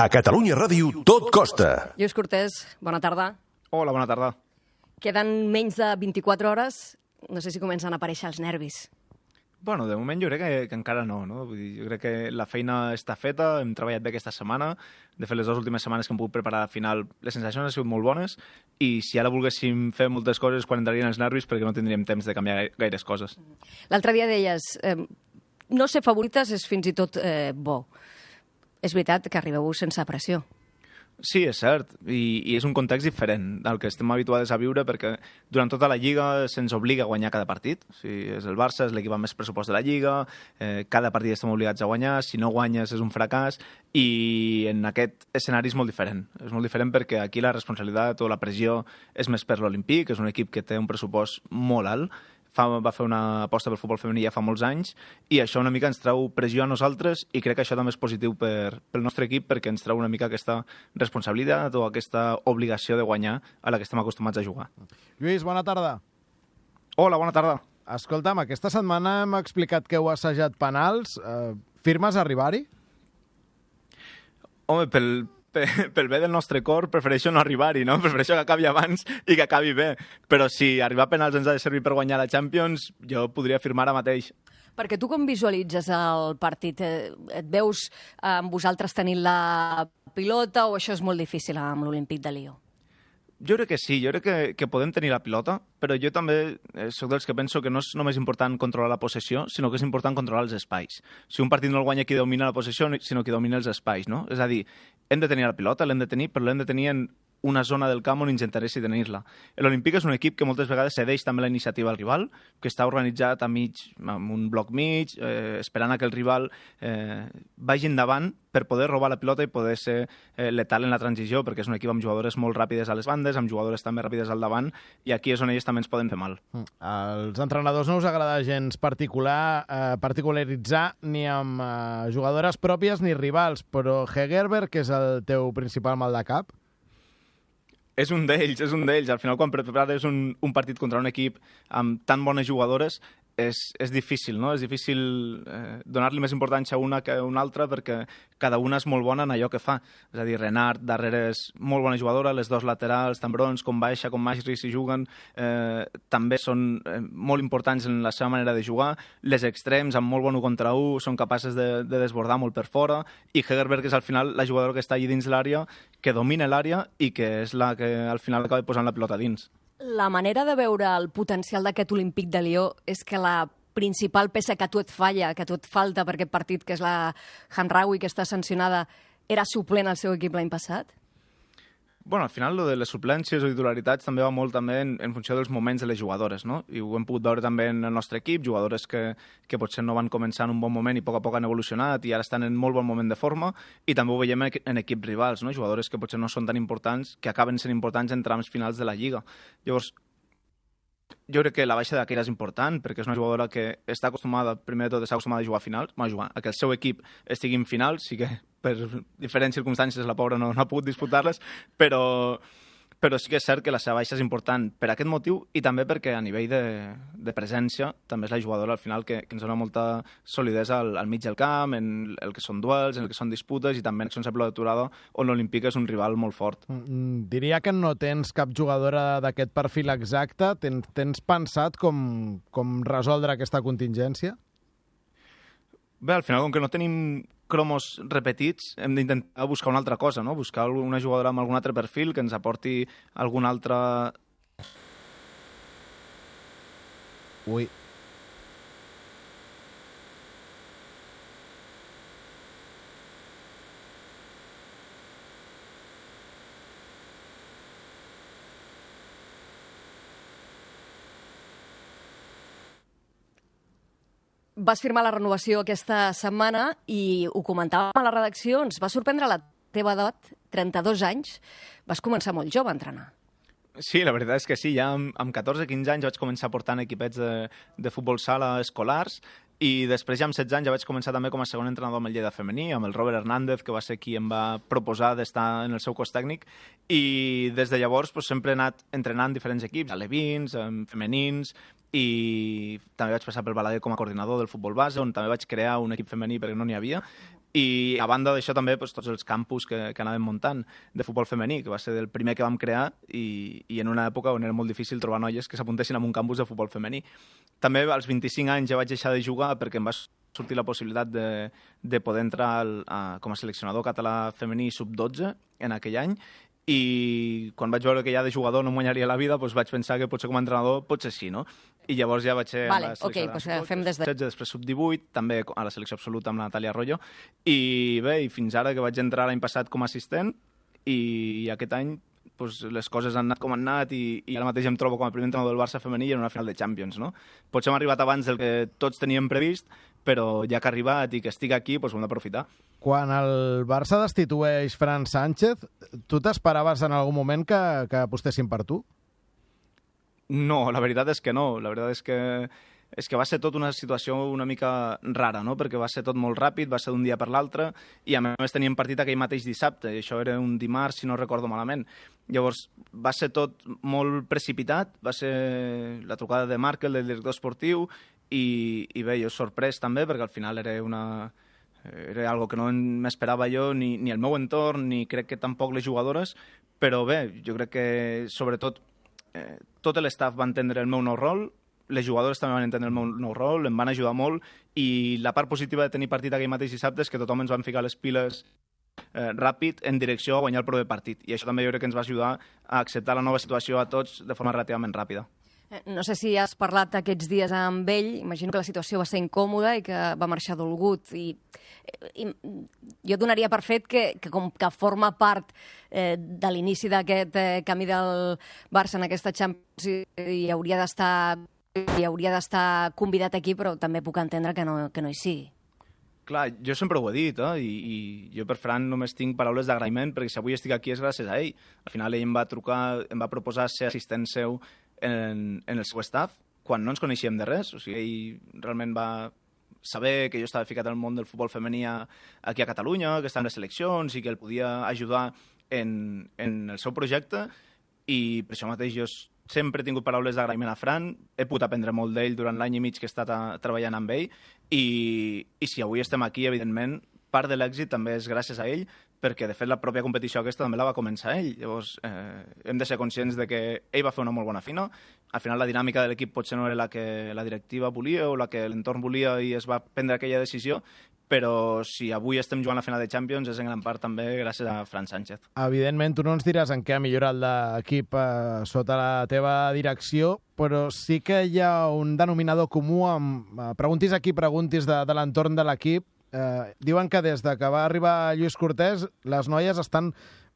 A Catalunya Ràdio tot costa. Lluís Cortés, bona tarda. Hola, bona tarda. Queden menys de 24 hores. No sé si comencen a aparèixer els nervis. Bueno, de moment jo crec que encara no, no? Vull dir, jo crec que la feina està feta, hem treballat bé aquesta setmana. De fet, les dues últimes setmanes que hem pogut preparar la final, les sensacions han sigut molt bones i si ara volguéssim fer moltes coses quan entrarien els nervis perquè no tindríem temps de canviar gaires coses. L'altre dia deies, no ser favorites és fins i tot bo. És veritat que arribeu sense pressió. Sí, és cert, i és un context diferent del que estem habituats a viure perquè durant tota la Lliga se'ns obliga a guanyar cada partit. O sigui, és el Barça, és l'equip amb més pressupost de la Lliga, cada partit estem obligats a guanyar, si no guanyes és un fracàs, i en aquest escenari és molt diferent. És molt diferent perquè aquí la responsabilitat o la pressió és més per l'Olímpic, que és un equip que té un pressupost molt alt, va fer una aposta pel futbol femení ja fa molts anys i això una mica ens treu pressió a nosaltres i crec que això també és positiu pel nostre equip perquè ens treu una mica aquesta responsabilitat o aquesta obligació de guanyar a la que estem acostumats a jugar. Lluís, bona tarda. Hola, bona tarda. Escolta'm, aquesta setmana hem explicat que heu assajat penals. Firmes arribar-hi? Home, pel bé del nostre cor prefereixo no arribar-hi, no? Prefereixo que acabi abans i que acabi bé. Però si arribar a penals ens ha de servir per guanyar la Champions, jo podria firmar ara mateix. Perquè tu com visualitzes el partit? Et veus amb vosaltres tenint la pilota o això és molt difícil amb l'Olímpic de Lió? Jo crec que sí, jo crec que podem tenir la pilota, però jo també soc dels que penso que no és només important controlar la possessió, sinó que és important controlar els espais. Si un partit no el guanya qui domina la possessió, sinó qui domina els espais, no? És a dir, hem de tenir la pilota, l'hem de tenir, però l'hem de tenir en una zona del camp on ens interessi tenir-la. L'Olímpic és un equip que moltes vegades cedeix també la iniciativa al rival, que està organitzat amb un bloc mig, esperant a que el rival vagi endavant per poder robar la pilota i poder ser letal en la transició, perquè és un equip amb jugadores molt ràpides a les bandes, amb jugadores també ràpides al davant, i aquí és on ells també ens poden fer mal. Als entrenadors no us agrada gens particularitzar ni amb jugadores pròpies ni rivals, però Hegerberg, que és el teu principal mal de cap? És un d'ells. Al final, quan prepares un partit contra un equip amb tan bones jugadores, és difícil, no? És difícil donar-li més importància a una que a una altra perquè cada una és molt bona en allò que fa. És a dir, Renard, darrere és molt bona jugadora, les dos laterals, tant Brons com Baixa, com Magri, si juguen, també són molt importants en la seva manera de jugar. Les extrems, amb molt bon 1 contra 1, són capaces de desbordar molt per fora, i Hegerberg és al final la jugadora que està allí dins l'àrea, que domina l'àrea i que és la que al final acaba posant la pilota dins. La manera de veure el potencial d'aquest Olímpic de Lió és que la principal peça que a tu et falla, que a tu et falta per aquest partit, que és la Hamraoui, que està sancionada, era suplent al seu equip l'any passat? Bueno, al final, lo de les suplències o titularitats també va molt també en funció dels moments de les jugadores, no? I ho hem pogut veure també en el nostre equip, jugadores que potser no van començar en un bon moment i a poc han evolucionat i ara estan en molt bon moment de forma, i també ho veiem en equips rivals, no? Jugadores que potser no són tan importants, que acaben sent importants en trams finals de la Lliga. Llavors, jo crec que la baixa de Keira és important perquè és una jugadora que està acostumada, primer de tot, està acostumada a jugar a finals, a que el seu equip estigui en finals, sí que per diferents circumstàncies la pobra no ha pogut disputar-les, però sí que és cert que la seva baixa és important per aquest motiu i també perquè a nivell de presència també és la jugadora al final que ens dona molta solidesa al mig del camp, en el que són duels, en el que són disputes i també en accions a pilota aturada on l'Olímpic és un rival molt fort. Diria que no tens cap jugadora d'aquest perfil exacte. Tens pensat com resoldre aquesta contingència? Bé, al final, com que no tenim cromos repetits, hem d'intentar buscar una altra cosa, no? Buscar una jugadora amb algun altre perfil que ens aporti algun altre... Ui. Vas firmar la renovació aquesta setmana i ho comentàvem a la redacció, ens va sorprendre la teva edat, 32 anys. Vas començar molt jove a entrenar. Sí, la veritat és que sí. Ja amb 14-15 anys vaig començar portant equipets de futbol sala escolars i després ja amb 16 anys ja vaig començar també com a segon entrenador amb el Lleida femení, amb el Robert Hernández, que va ser qui em va proposar d'estar en el seu cos tècnic, i des de llavors sempre he anat entrenant diferents equips, alevins, femenins, i també vaig passar pel Balaguer com a coordinador del futbol base, on també vaig crear un equip femení perquè no n'hi havia, I a banda d'això també tots els campus que anàvem muntant de futbol femení, que va ser el primer que vam crear i en una època on era molt difícil trobar noies que s'apuntessin a un campus de futbol femení. També als 25 anys ja vaig deixar de jugar perquè em va sortir la possibilitat de poder entrar com a seleccionador català femení sub-12 en aquell any, i quan vaig veure que ja de jugador no em guanyaria la vida, vaig pensar que potser com a entrenador potser sí, no? I llavors ja vaig ser a la selecció fem des de... 16, després sub-18, també a la selecció absoluta amb la Natàlia Arroyo, i bé, i fins ara que vaig entrar l'any passat com a assistent, i aquest any les coses han anat com han anat i ara mateix em trobo com a primer entrenador del Barça femení en una final de Champions, no? Potser hem arribat abans del que tots teníem previst, però ja que ha arribat i que estic aquí, ho hem d'aprofitar. Quan el Barça destitueix Fran Sánchez, tu t'esperaves en algun moment que apostessin per tu? No, la veritat és que no. La veritat és que va ser tot una situació una mica rara, no? Perquè va ser tot molt ràpid, va ser d'un dia per l'altre, i a més teníem partit aquell mateix dissabte, i això era un dimarts, si no recordo malament. Llavors, va ser tot molt precipitat, va ser la trucada de Markel, del director esportiu, i bé, jo sorprès també, perquè al final era algo que no m'esperava jo, ni el meu entorn, ni crec que tampoc les jugadores, però bé, jo crec que sobretot tot l'estaf va entendre el meu nou rol, les jugadores també van entendre el meu nou rol, em van ajudar molt, i la part positiva de tenir partit aquell mateix dissabte és que tothom ens van ficar les piles ràpid en direcció a guanyar el proper partit, i això també jo crec que ens va ajudar a acceptar la nova situació a tots de forma relativament ràpida. No sé si has parlat aquests dies amb ell, imagino que la situació va ser incòmoda i que va marxar dolgut, i jo donaria per fet que com que forma part de l'inici d'aquest camí del Barça en aquesta Champions i hauria d'estar convidat aquí, però també puc entendre que no hi sigui. Clar, jo sempre ho he dit, i jo per Fran només tinc paraules d'agraïment, perquè si avui estic aquí és gràcies a ell. Al final ell em va trucar, em va proposar ser assistent seu en el seu staff, quan no ens coneixíem de res. O sigui, ell realment va saber que jo estava ficat al món del futbol femení aquí a Catalunya, que estava en les seleccions i que el podia ajudar en el seu projecte, i per això mateix jo sempre he tingut paraules d'agraïment a Fran, he pogut aprendre molt d'ell durant l'any i mig que he estat treballant amb ell, i si avui estem aquí, evidentment, part de l'èxit també és gràcies a ell, perquè, de fet, la pròpia competició aquesta també la va començar ell. Llavors, hem de ser conscients de que ell va fer una molt bona fina. Al final, la dinàmica de l'equip potser no era la que la directiva volia o la que l'entorn volia i es va prendre aquella decisió, però si avui estem jugant la final de Champions és en gran part també gràcies a Fran Sánchez. Evidentment, tu no ens diràs en què ha millorat l'equip sota la teva direcció, però sí que hi ha un denominador comú amb preguntis aquí, preguntis de l'entorn de l'equip. Diuen que des de que va arribar Lluís Cortés les noies estan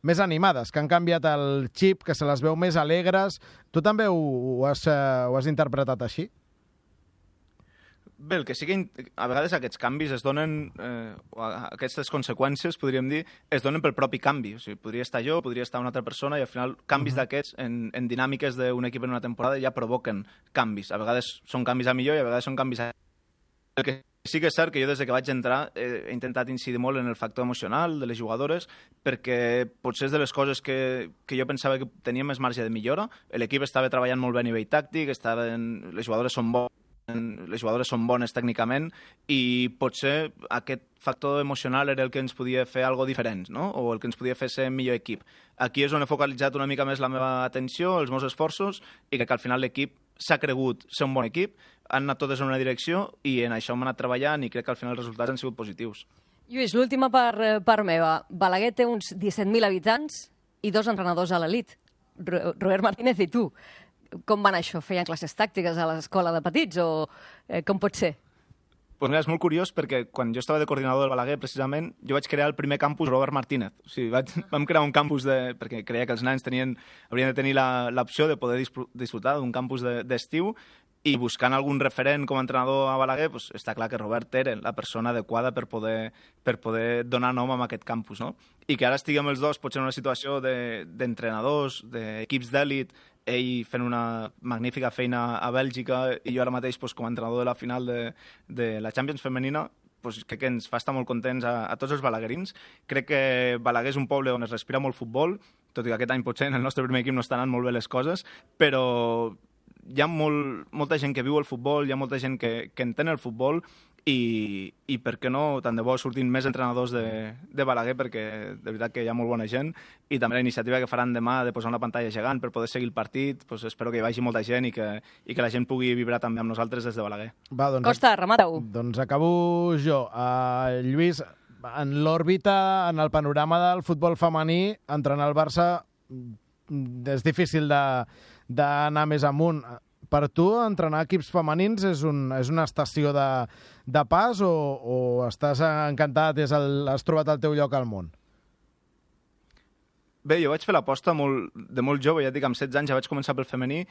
més animades, que han canviat el xip, que se les veu més alegres. Tu també ho has interpretat així? Bé, el que sí que a vegades aquests canvis es donen, aquestes conseqüències, podríem dir, es donen pel propi canvi. O sigui, podria estar jo, podria estar una altra persona, i al final canvis d'aquests en dinàmiques d'un equip en una temporada ja provoquen canvis. A vegades són canvis a millor i a vegades són canvis a... El que sí que és cert que jo des que vaig entrar he intentat incidir molt en el factor emocional de les jugadores, perquè potser és de les coses que jo pensava que tenia més marge de millora. L'equip estava treballant molt bé a nivell tàctic, les jugadores són bones tècnicament, i potser aquest factor emocional era el que ens podia fer algo diferent, no? O el que ens podia fer ser millor equip. Aquí és on he focalitzat una mica més la meva atenció, els meus esforços, i crec que al final l'equip s'ha cregut ser un bon equip, han anat totes en una direcció i en això hem anat treballant, i crec que al final els resultats han sigut positius. Lluís, l'última part meva. Balaguer té uns 17.000 habitants i 2 entrenadors a l'elit, Robert Martínez i tu. Com van això? Feien classes tàctiques a l'escola de petits o com pot ser? Pues mira, és molt curiós perquè quan jo estava de coordinador del Balaguer, precisament, jo vaig crear el primer campus Robert Martínez. O sigui, vam crear un campus perquè creia que els nens haurien de tenir l'opció de poder disfrutar d'un campus d'estiu, i buscant algun referent com a entrenador a Balaguer, pues, està clar que Robert era la persona adequada per poder donar nom a aquest campus, no? I que ara estiguem els dos potser en una situació d'entrenadors, d'equips d'èlit, ell fent una magnífica feina a Bèlgica i jo ara mateix com a entrenador de la final de la Champions femenina, crec que ens fa estar molt contents a tots els balaguerins. Crec que Balaguer és un poble on es respira molt futbol, tot i que aquest any potser en el nostre primer equip no estan anant molt bé les coses, però hi ha molta gent que viu el futbol, hi ha molta gent que entén el futbol, i per què no, tant de bo surtin més entrenadors de Balaguer, perquè de veritat que hi ha molt bona gent, i també la iniciativa que faran demà de posar una pantalla gegant per poder seguir el partit, doncs espero que hi vagi molta gent i que la gent pugui vibrar també amb nosaltres des de Balaguer. Va, doncs, Costa, remata-ho. Doncs acabo jo. Lluís, en l'òrbita, en el panorama del futbol femení, entrenar el Barça és difícil d'anar més amunt. Per tu, entrenar equips femenins és una estació de pas o estàs encantat, has trobat el teu lloc al món? Bé, jo vaig fer l'aposta de molt jove, ja et dic, amb 16 anys ja vaig començar pel femení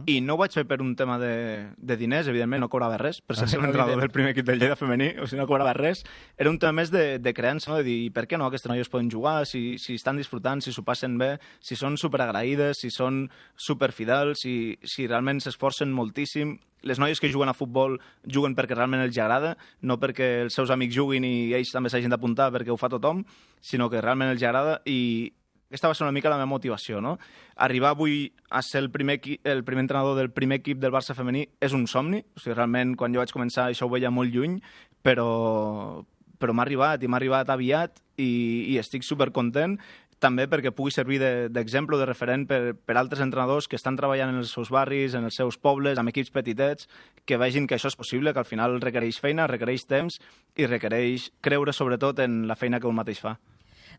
i no ho vaig fer per un tema de diners, evidentment, no cobrava res, per ser l'entrenador del primer equip del Lleida femení, o sigui, no cobrava res. Era un tema més de creença, no? De dir, per què no aquestes noies poden jugar, si estan disfrutant, si s'ho passen bé, si són superagraïdes, si són superfidels, si realment s'esforcen moltíssim. Les noies que juguen a futbol juguen perquè realment els agrada, no perquè els seus amics juguin i ells també s'hagin d'apuntar perquè ho fa tothom, sinó que realment els agrada i aquesta va ser una mica la meva motivació, no? Arribar avui a ser el primer entrenador del primer equip del Barça femení és un somni. O sigui, realment, quan jo vaig començar, això ho veia molt lluny, però m'ha arribat aviat i estic supercontent, també perquè pugui servir d'exemple, de referent per altres entrenadors que estan treballant en els seus barris, en els seus pobles, amb equips petitets, que vegin que això és possible, que al final requereix feina, requereix temps i requereix creure sobretot en la feina que un mateix fa.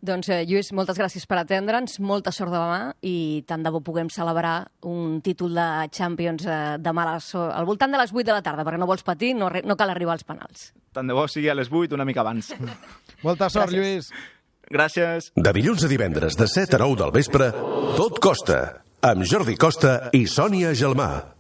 Doncs, Lluís, moltes gràcies per atendre'ns, molta sort demà i tant de bo puguem celebrar un títol de Champions demà al voltant de les 8 de la tarda, perquè no vols patir, no cal arribar als penals. Tant de bo sigui a les 8, una mica abans. Molta sort, Lluís. Gràcies. De dilluns a divendres, de 7 a 9 del vespre, Tot Costa, amb Jordi Costa i Sònia Gelmà.